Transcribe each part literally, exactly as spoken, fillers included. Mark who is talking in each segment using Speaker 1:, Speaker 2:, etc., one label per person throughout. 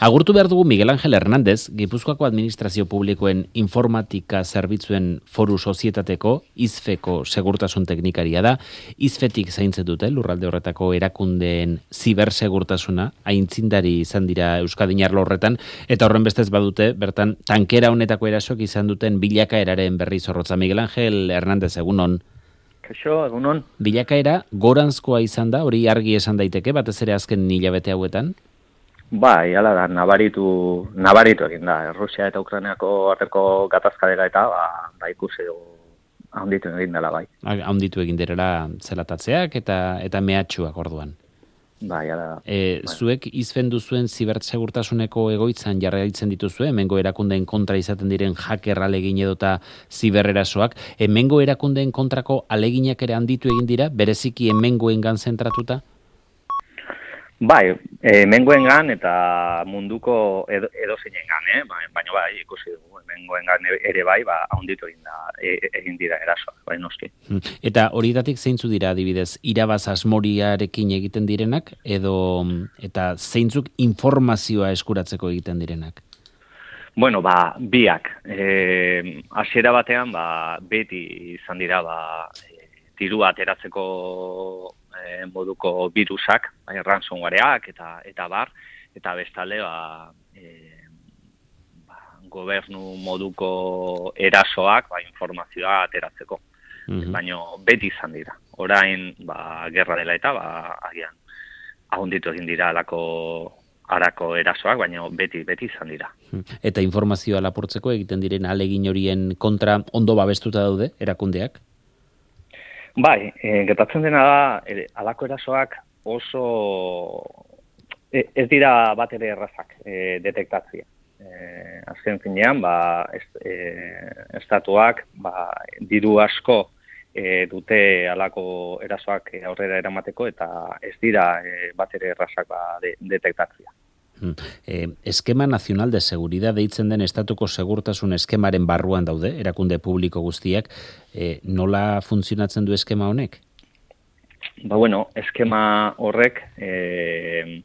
Speaker 1: Agurtu behar dugu Miguel Ángel Hernández, Gipuzkoako Administrazio Publikoen Informatika Zerbitzuen Foru Sozietateko IZFEko segurtasun teknikaria da. IZFEtik zaintzen dute lurralde horretako erakundeen zibersegurtasuna, aintzindari izan dira Euskadin arlo horretan, eta horren bestez badute, bertan tankera honetako erasok izan duten bilakaeraren berri zorrotza. Miguel Ángel Hernández, egunon.
Speaker 2: Kaixo, egunon.
Speaker 1: Bilakaera goranzkoa izan da, hori argi esan daiteke, batez ere azken hilabete hauetan?
Speaker 2: Bai, hala da, nabaritu, nabaritu egin da. Rusia eta Ukrainiako arteko gatazka dela eta ba, ba ikusi dugu handitu egin dela bai.
Speaker 1: Handitu egin direla zelatatzeak eta eta mehatxuak orduan.
Speaker 2: Bai, hala da.
Speaker 1: E,
Speaker 2: bai.
Speaker 1: Zuek izfen duzuen zibersegurtasuneko egoitzan jarraitzen dituzue, hemengo erakundeen kontra izaten diren hacker alegin edota ziberrerasoak. Hemengo erakundeen kontrako aleginak ere handitu egin dira, bereziki hemengoengan zentratuta?
Speaker 2: Bai, e, mengoengan eta munduko edo, edozeinengan, eh? Ba, baina bai, ikusi dugu, mengoengan ere bai, ba, handitu egin, da, e, egin dira erasoak, bai noski.
Speaker 1: Eta horietatik zeintzu dira adibidez, irabaz asmoriarekin egiten direnak, edo eta zeintzuk informazioa eskuratzeko egiten direnak?
Speaker 2: Bueno, ba, biak. E, hasiera batean, ba, beti izan dira, ba, e, dirua ateratzeko E, moduko virusak, bai, ransomwareak eta eta bar, eta bestalde ba, e, ba, gobernu moduko erasoak, ba, informazioa ateratzeko. Mm-hmm. Baina beti izan dira. Orain, ba, gerra dela eta ba, agian ahonditu egin dira alako arako erasoak, baina beti beti izan dira.
Speaker 1: Eta informazioa lapurtzeko egiten diren alegin horien kontra ondo babestuta daude erakundeak?
Speaker 2: Bai, e, gertatzen dena da, e, alako erasoak oso e, ez dira bat ere errazak e, detektatzea. E, azken finean, ba, ez, e, estatuak ba, diru asko e, dute alako erasoak aurrera eramateko eta ez dira e, bat ere errazak ba, de, detektatzea.
Speaker 1: Eh, Eskema Nacional de Seguridad deitzen den estatuko segurtasun eskemaren barruan daude, erakunde publiko guztiak, eh, nola funtzionatzen du eskema honek?
Speaker 2: Ba bueno, eskema horrek eh,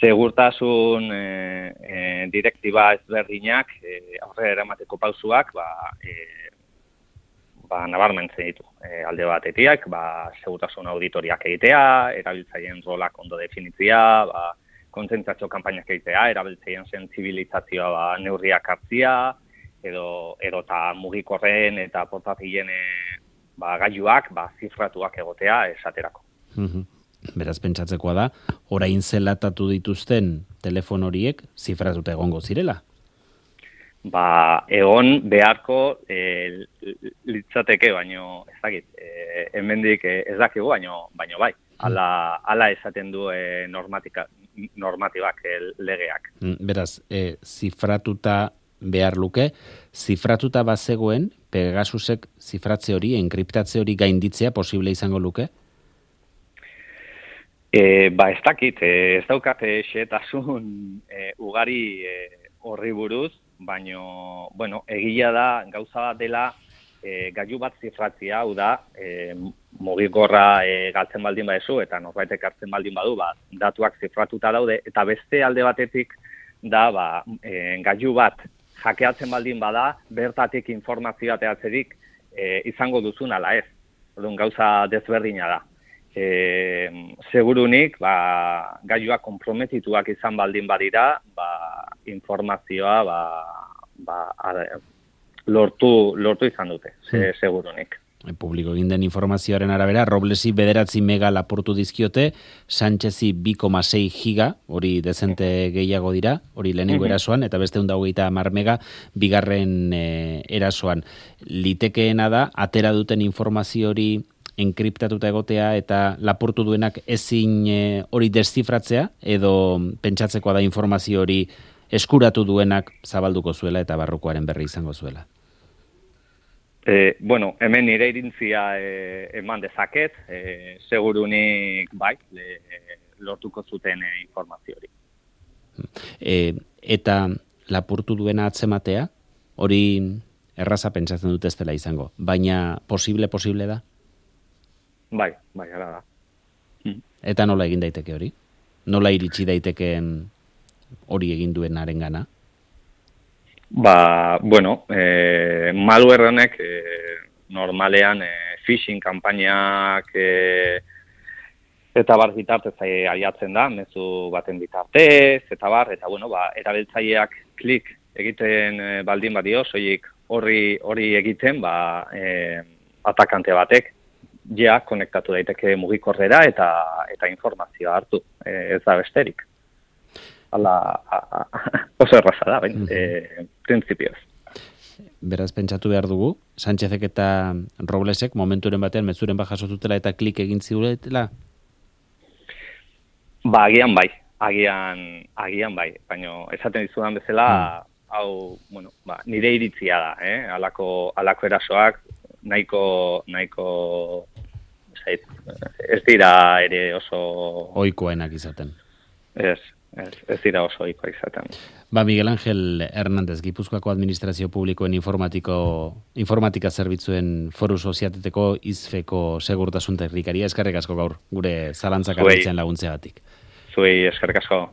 Speaker 2: segurtasun eh, eh, direktiba ezberdinak eh, aurrera eramateko pausuak ba, eh, ba, nabarmentzen ditu. Eh, alde batetik, ba, segurtasun auditoriak egitea, erabiltzaileen rolak ondo definitzea, ba, kontzentzatxo kanpainak egitea, erabiltzeien sentsibilizazioa ba, neurriak hartzia, edo edota mugikorren eta portatilen ba, gailuak ba, zifratuak egotea esaterako.
Speaker 1: Mm-hmm. Beraz, pentsatzekoa da, orain zelatatu dituzten telefon horiek zifratuta egongo zirela?
Speaker 2: Ba, egon beharko e, litzateke, baino ez dakit, e, hemendik e, ez dakigu, baino, baino bai. Ala, ala esaten du e, normatika, normatibak e, legeak.
Speaker 1: Beraz, e, zifratuta behar luke, zifratuta bazegoen, Pegasusek zifratze hori, enkriptatze hori gainditzea posible izango luke?
Speaker 2: E, ba, ez dakit, e, ez daukat xehetasun e, ugari e, horri buruz, baino, bueno, egia da, gauza bat dela, E, gailu bat zifratzia, hau da, e, mugikorra e, galtzen baldin badezu, eta norbaitek hartzen baldin badu, ba, datuak zifratuta daude, eta beste alde batetik da, ba, e, gailu bat hackeatzen baldin bada, bertatik informazioa ateratzeko e, izango duzun ala ez. Orduan gauza desberdina da. E, segurunik, ba, gailuak konprometituak izan baldin badira, ba, informazioa, ba, ba, ara, Lortu, lortu izan dute, ze, hmm. segurunik.
Speaker 1: Publiko egin den informazioaren arabera, Roblesi bederatzi mega lapurtu dizkiote, Sánchezi bi koma sei giga, hori dezente gehiago dira, hori lehenengo erasoan, eta beste hunda hogeita hamar mega, bigarren e, erasoan. Litekeena da, atera duten informazio hori enkriptatuta egotea eta lapurtu duenak ezin e, hori deszifratzea, edo pentsatzekoa da informazio hori eskuratu duenak zabalduko zuela eta barrukoaren berri izango zuela.
Speaker 2: E, bueno, hemen nire irintzia e, eman dezaket, e, segurunik bai, le, lortuko zuten e, informazio hori.
Speaker 1: E, eta lapurtu duena atzematea, hori erraza pentsatzen dut ez dela izango, baina posible, posible da?
Speaker 2: Bai, bai, ara da.
Speaker 1: Eta nola egin daiteke hori? Nola iritsi daitekeen hori egin duen arengana?
Speaker 2: Ba, bueno, e, malware honek e, normalean e, phishing kanpainak e, eta bar bitartez aiatzen da, mezu baten bitartez, eta bar, eta bueno, ba, erabiltzaileak klik egiten e, baldin badio, soilik horri hori egiten, ba, e, atakante batek, ja, konektatu daiteke mugikorrera eta eta informazioa hartu, e, ez da besterik. Hala, oso erraza da, bain, e, printzipioz.
Speaker 1: Beraz, pentsatu behar dugu, Sánchezek eta Roblesek momenturen batean mezuren bat jasotutela eta klik egin ziuretela?
Speaker 2: Ba, agian bai, agian, agian bai, baina esaten dizudan bezala, hmm. hau, bueno, ba, nire iritzia da, eh? Alako, alako erasoak, nahiko, nahiko, zait, ez dira ere oso...
Speaker 1: Ohikoenak izaten.
Speaker 2: Ez, ez, ez dira oso ohikoa izaten.
Speaker 1: Ba, Miguel Ángel Hernández, Gipuzkoako Administrazio Publikoen informatiko, informatika zerbitzuen foru soziateteko izfeko segurtasun teknikaria. Eskerrik asko gaur, gure zalantzak argitzen laguntzeagatik.
Speaker 2: Zuei eskerrik asko.